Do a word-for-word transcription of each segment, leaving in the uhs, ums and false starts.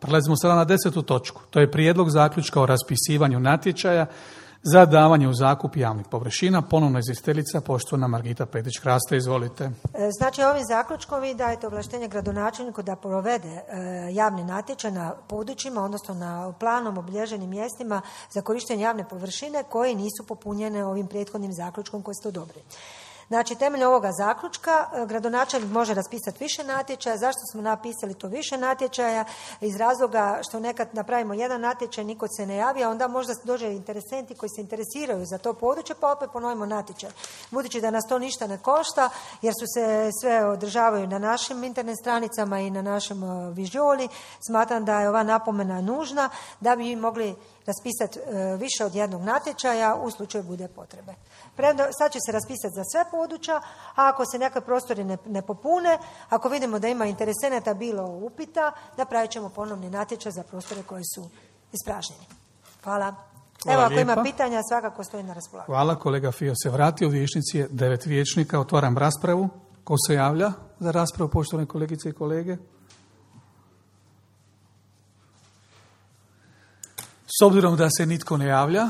Prelazimo sada na desetu točku. To je prijedlog zaključka o raspisivanju natječaja za davanje u zakup javnih površina. Ponovno izvjestiteljica, poštovana Margita Petić-Kraste, izvolite. Znači, ovim zaključkom vi dajete ovlaštenje gradonačelniku da provede javni natječaj na područjima, odnosno na planom obilježenim mjestima za korištenje javne površine koje nisu popunjene ovim prethodnim zaključkom koji ste odobrili. Znači, temeljem ovoga zaključka gradonačelnik može raspisati više natječaja. Zašto smo napisali to više natječaja? Iz razloga što nekad napravimo jedan natječaj, niko se ne javi, a onda možda dođe interesenti koji se interesiraju za to područje, pa opet ponovimo natječaj. Budući da nas to ništa ne košta, jer su se sve održavaju na našim internet stranicama i na našem vižoli, smatram da je ova napomena nužna da bi mogli raspisati više od jednog natječaja u slučaju bude potrebe. Sad će se raspisati za sve područja, a ako se neke prostori ne, ne popune, ako vidimo da ima interesenata bilo upita, napravit ćemo ponovni natječaj za prostore koji su ispražnjeni. Hvala. Hvala Evo, ako lijepa. ima pitanja, svakako stoji na raspolaganju. Hvala, kolega Fio se vratio. U vijećnici je devet vijećnika. Otvaram raspravu. Ko se javlja za raspravu, poštovane kolegice i kolege? S obzirom da se nitko ne javlja,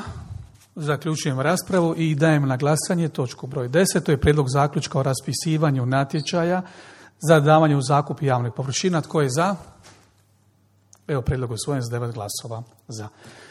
zaključujem raspravu i dajem na glasanje točku broj deset. To je prijedlog zaključka o raspisivanju natječaja za davanje u zakup javnih površina. Tko je za? Evo, prijedlog usvojen s devet glasova za.